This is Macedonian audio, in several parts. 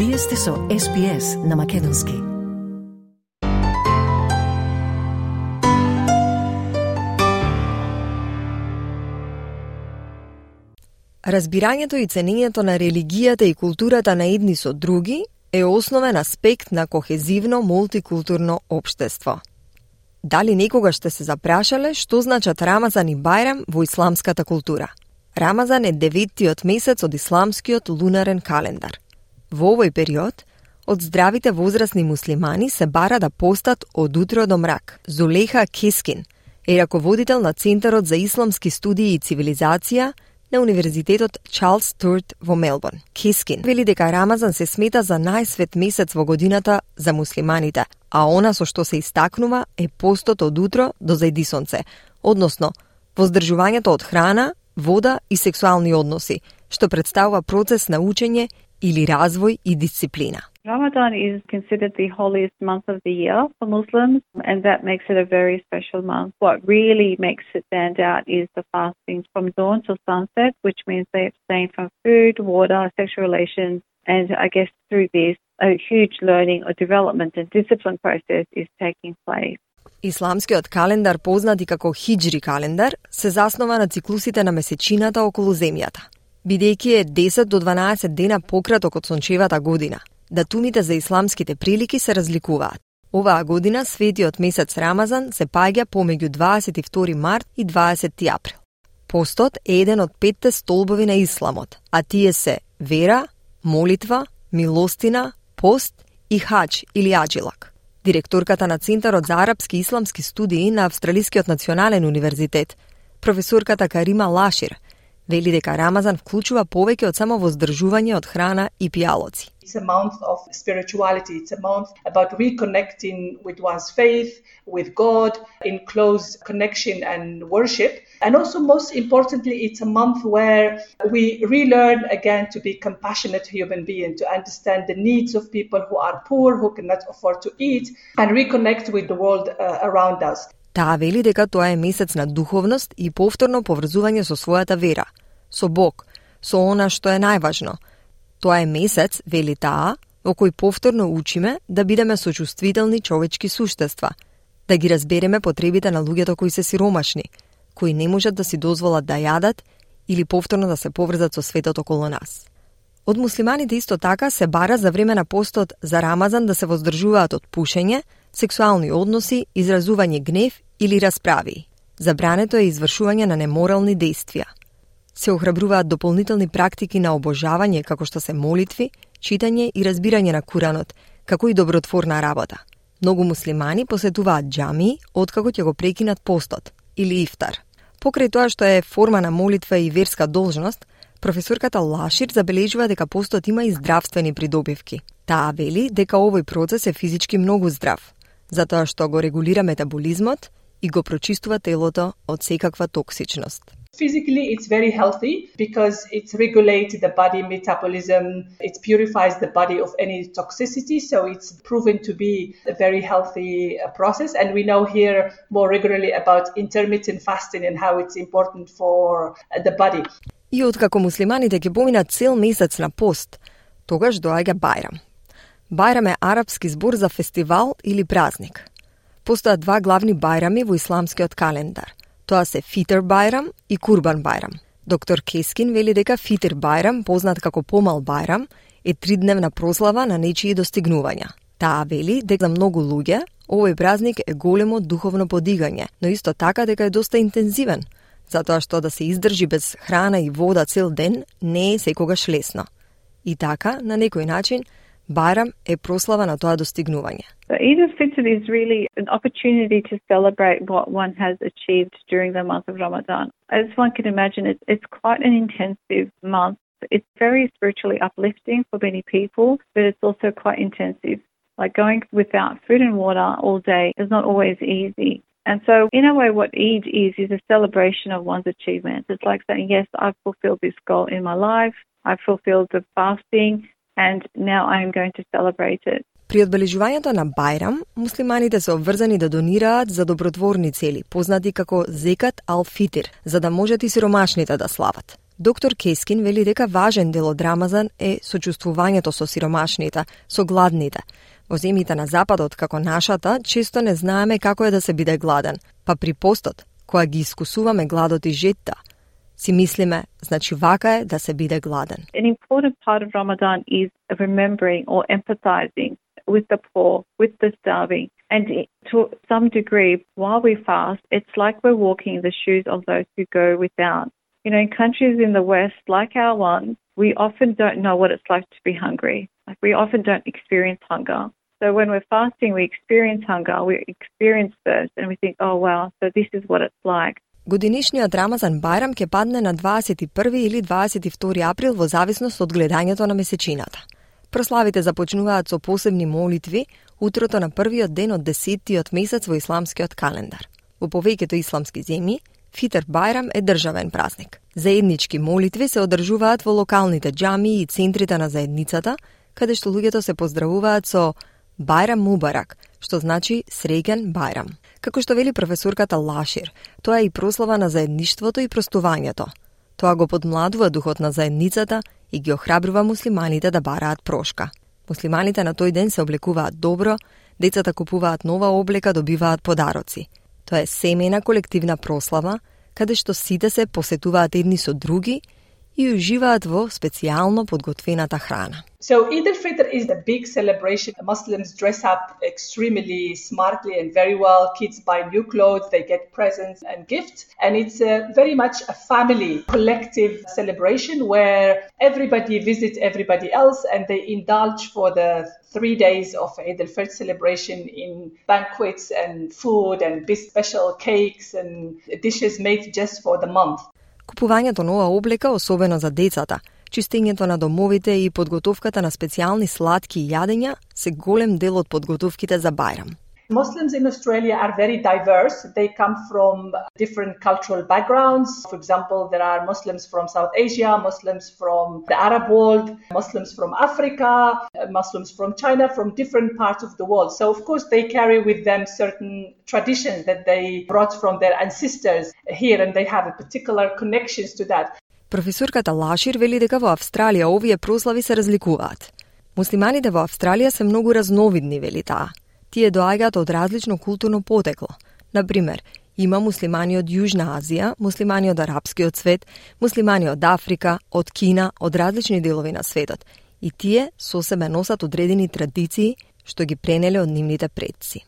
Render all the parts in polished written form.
Вие сте со SPS на Македонски. Разбирањето и ценењето на религијата и културата на едни со други е основен аспект на кохезивно мултикултурно општество. Дали некогаш сте се запрашале што значат Рамазан и Бајрам во исламската култура? Рамазан е 9-тиот месец од исламскиот лунарен календар. Во овој период, од здравите возрастни муслимани се бара да постат од утро до мрак. Зулейха Кескин е раководител на Центарот за исламски студии и цивилизација на Универзитетот Чарлс Стюарт во Мелбурн. Кескин вели дека Рамазан се смета за најсвет месец во годината за муслиманите, а она со што се истакнува е постот од утро до зајди сонце, односно воздржувањето од храна, вода и сексуални односи, што представува процес на учење или развој и дисциплина. Ramadan is considered the holiest month of the year for Muslims, and that makes it a very special month. What really makes it stand out is the fasting from dawn till sunset, which means they abstain from food, water, sexual relations, and I guess through this, a huge learning or development and discipline process is taking place. Исламскиот календар, познат и како хиџри календар, се заснова на циклусите на месечината околу земјата. Бидејќи е 10 до 12 дена пократок од сончевата година, датумите за исламските прилики се разликуваат. Оваа година светиот месец Рамазан се паѓа помеѓу 22 март и 20 април. Постот е еден од 5 столбови на исламот, а тие се вера, молитва, милостина, пост и хадж или аджилак. Директорката на Центарот за арапски и исламски студии на Австралискиот национален универзитет, професорката Карима Лашир, вели дека Рамазан вклучува повеќе од само воздржување од храна и пијалоци. It's a month of spirituality. It's a month about reconnecting with one's faith, with God, in close connection and worship. And also, most importantly, it's a month where we relearn again to be compassionate human beings, to understand the needs of people who are poor, who cannot afford to eat, and reconnect with the world around us. Таа вели дека тоа е месец на духовност и повторно поврзување со својата вера, со Бог, со она што е најважно. Тоа е месец, вели таа, во кој повторно учиме да бидеме сочувствителни човечки суштества, да ги разбереме потребите на луѓето кои се сиромашни, кои не можат да си дозволат да јадат или повторно да се поврзат со светот околу нас. Од муслиманите исто така се бара за време на постот за Рамазан да се воздржуваат од пушење, сексуални односи, изразување гнев или расправи. Забрането е извршување на неморални дејствија. Се охрабруваат дополнителни практики на обожавање како што се молитви, читање и разбирање на Куранот, како и добротворна работа. Многу муслимани посетуваат џамии откако ќе го прекинат постот или ифтар. Покрај тоа што е форма на молитва и верска должност, професорката Лашир забележува дека постот има и здравствени придобивки. Таа вели дека овој процес е физички многу здрав, затоа што го регулира метаболизмот и го прочистува телото од секаква токсичност. Physically, it's very healthy because it regulates the body metabolism, it purifies the body of any toxicity, so it's proven to be a very healthy process. And we know here more regularly about intermittent fasting and how it's important for the body. И откако муслиманите ќе поминат цел месец на пост, тогаш доаѓа Бајрам. Бајрам е арапски збор за фестивал или празник. Постојат два главни бајрами во исламскиот календар. Тоа се Фитр Бајрам и Курбан Бајрам. Доктор Кескин вели дека Фитр Бајрам, познат како Помал Бајрам, е 3-дневна прослава на нечии достигнувања. Таа вели дека за многу луѓе овој празник е големо духовно подигање, но исто така дека е доста интензивен, затоа што да се издржи без храна и вода цел ден не е секогаш лесно. И така, на некој начин, Бајрам е прослава на тоа достигнување. So Eid al-Fitr is really an opportunity to celebrate what one has achieved during the month of Ramadan. As one can imagine, it's quite an intensive month. It's very spiritually uplifting for many people, but it's also quite intensive. Like going without food and water all day is not always easy. And so, in a way, what Eid is a celebration of one's achievements. It's like saying, yes, I've fulfilled this goal in my life, I've fulfilled the fasting, and now I am going to celebrate it. При одбележувањето на Бајрам, муслиманите се обврзани да донираат за добротворни цели, познати како Зекат ал-Фитр, за да можат и сиромашните да слават. Доктор Кескин вели дека важен дел од Рамазан е сочувствувањето со сиромашните, со гладните. Во земјите на Западот, како нашата, често не знаеме како е да се биде гладен, па при постот, која ги искусуваме гладот и жетта, си мислиме, значи вака е да се биде гладен. An important part of Ramadan is remembering or empathizing with the poor, with the starving. And to some degree, while we fast, it's like we're walking in the shoes of those who go without. You know, in countries in the West, like our one, we often don't know what it's like to be hungry. Like we often don't experience hunger. So when we're fasting, we experience hunger, we experience thirst, and we think, oh wow, so this is what it's like. Годинишниот Рамазан Бајрам ќе падне на 21 или 22 април во зависност од гледањето на месечината. Прославите започнуваат со посебни молитви утрото на првиот ден од 10-тиот месец во исламскиот календар. Во повеќето исламски земји, Фитр Бајрам е државен празник. Заеднички молитви се одржуваат во локалните џамии и центрите на заедницата, каде што луѓето се поздравуваат со Бајрам Мубарак, што значи среќен Бајрам. Како што вели професорката Лашир, тоа е и прослава на заедништвото и простувањето. Тоа го подмладува духот на заедницата и ги охрабрува муслиманите да бараат прошка. Муслиманите на тој ден се облекуваат добро, децата купуваат нова облека, добиваат подароци. Тоа е семејна колективна прослава, каде што сите се посетуваат едни со други и уживаат во специјално подготвената храна. So Eid al-Fitr is a big celebration. Muslims dress up extremely smartly and very well. Kids buy new clothes, they get presents and gifts. And it's very much a family, collective celebration where everybody visits everybody else and they indulge for the 3 days of Eid al-Fitr celebration in banquets and food and big special cakes and dishes made just for the month. Купувањето нова облека, особено за децата, чистењето на домовите и подготовката на специјални сладки јадења се голем дел од подготовките за Бајрам. Muslims in Australia are very diverse. They come from different cultural backgrounds. For example, there are Muslims from South Asia, Muslims from the Arab world, Muslims from Africa, Muslims from China, from different parts of the world. So, of course, they carry with them certain traditions that they brought from their ancestors here, and they have a particular connections to that. Професорката Лашир вели дека во Австралија овие прослави се разликуваат. Муслиманите во Австралија се многу разновидни, вели таа. Тие доаѓаат од различно културно потекло. Например, има муслимани од Јужна Азија, муслимани од арапскиот свет, муслимани од Африка, од Кина, од различни делови на светот. И тие со себе носат одредени традиции што ги пренеле од нивните предци.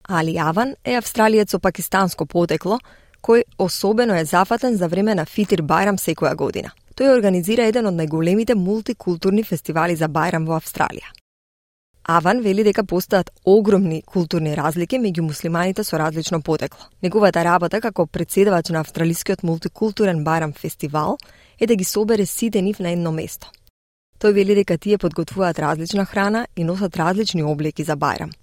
Али Аван е австралиец со пакистанско потекло, кој особено е зафатен за време на Фитир Бајрам секоја година. Тој организира еден од најголемите мултикултурни фестивали за Бајрам во Австралија. Аван вели дека постојат огромни културни разлики меѓу муслиманите со различно потекло. Неговата работа како претседавач на австралискиот мултикултурен Бајрам фестивал е да ги собере сите нив на едно место. Тој вели дека тие подготвуваат различна храна и носат различни облеки за Бајрам.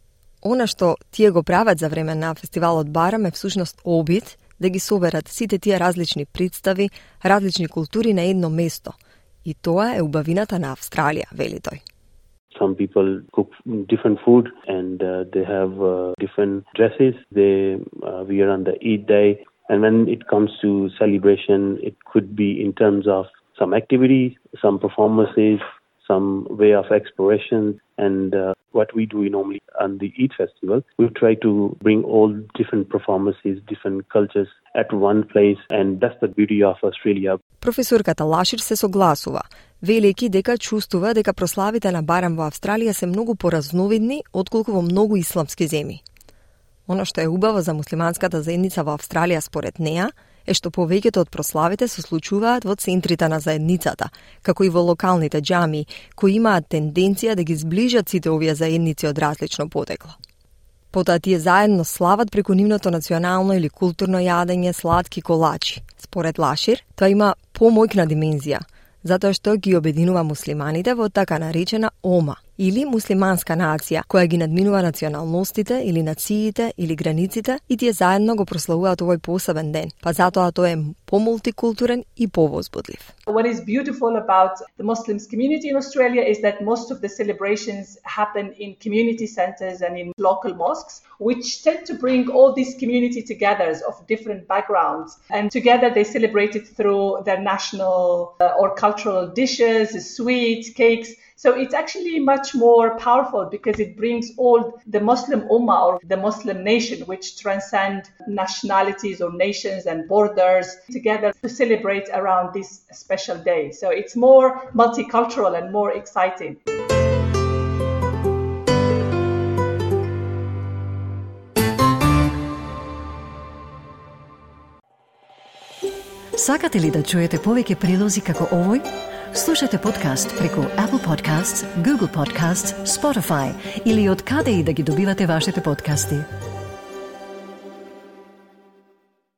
Она што тие го прават за време на фестивалот Бајрам е всушност обид да ги соберат сите тие различни представи, различни култури на едно место. И тоа е убавината на Австралија, вели тој. Some people cook different food and they have different dresses they wear on the Eid day. And when it comes to celebration, it could be in terms of some activities, some performances, some way of exploration. And what we do normally on the Eid festival, we try to bring all different performances, different cultures at one place. And that's the beauty of Australia. Професорката Лашир се согласува, велики дека чувствува дека прославите на Бајрам во Австралија се многу поразновидни отколку во многу исламски земји. Оно што е убаво за муслиманската заедница во Австралија според неа е што повеќето од прославите се случуваат во центрите на заедницата, како и во локалните џамии, кои имаат тенденција да ги зближат сите овие заедници од различно потекло. Потоа тие заедно слават преку нивното национално или културно јадење сладки колачи. Според Лашир, тоа има помојкна димензија, затоа што ги обединува муслиманите во така наречена ома, или муслиманска нација, која ги надминува националностите или нациите или границите и тие заедно го прославуваат овој посебен ден, па затоа тој е помултикултурен и повозбудлив. What is beautiful about the Muslims community in Australia is that most of the celebrations happen in community centers and in local mosques, which tend to bring all these community together of different backgrounds. And together they celebrate it through their national or cultural dishes, sweets, cakes. So it's actually much more powerful because it brings all the Muslim Ummah or the Muslim nation, which transcend nationalities or nations and borders together to celebrate around this special day. So it's more multicultural and more exciting. Сакате ли да чуете повеќе прилози како овој? Слушате подкаст преку Apple Podcasts, Google Podcasts, Spotify или од каде и да ги добивате вашите подкасти.